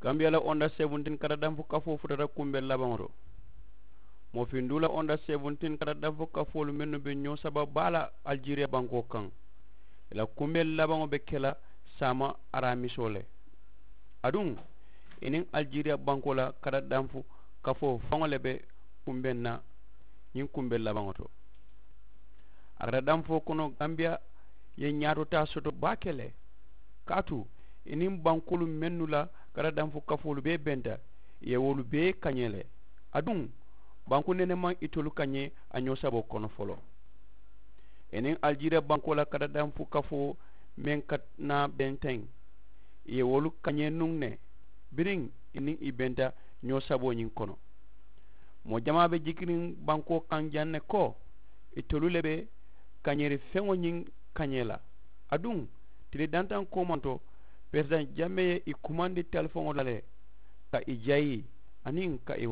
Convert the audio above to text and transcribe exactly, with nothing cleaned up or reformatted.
Gambiya la onda seventeen kata danfu kafoo futata kumbeŋ labaŋo to. Moo finduu la onda seventeen kata danfu kafoolu mennu be ñoo saba baa la alijeriya bankoo kaŋ, i la kumbeŋ labaŋo be ke la saama araamisoo le. Aduŋ i niŋ alijeriya bankoo la kata danfu kafoo faŋo le be kumbeŋ na ñiŋ kumbeŋ labaŋo to. A kata danfoo kono gambiya ye ñaatotaa soto baake le, kaatu i niŋ bankoolu mennu la kata danfu kafoolu bee benta, i ye wolu bee kañee le. Aduŋ banku nene maŋ itolu kañee a ñoo saboo kono foloo. I niŋ alijeriya bankoo la kata danfu kafoo meŋ ka naa benteŋ, i ye wolu kañee nuŋ ne biriŋ i niŋ i benta ñoo saboo ñiŋ kono. Moo jamaa be jikiriŋ bankoo kaŋ jaŋ ne ko itolu le be kañeeri feŋo ñiŋ kañee la. Aduŋ tili dantaŋ koomanto peresidaŋ jammee ye i kumandi talifoŋo la le ka i jayi aniŋ ka i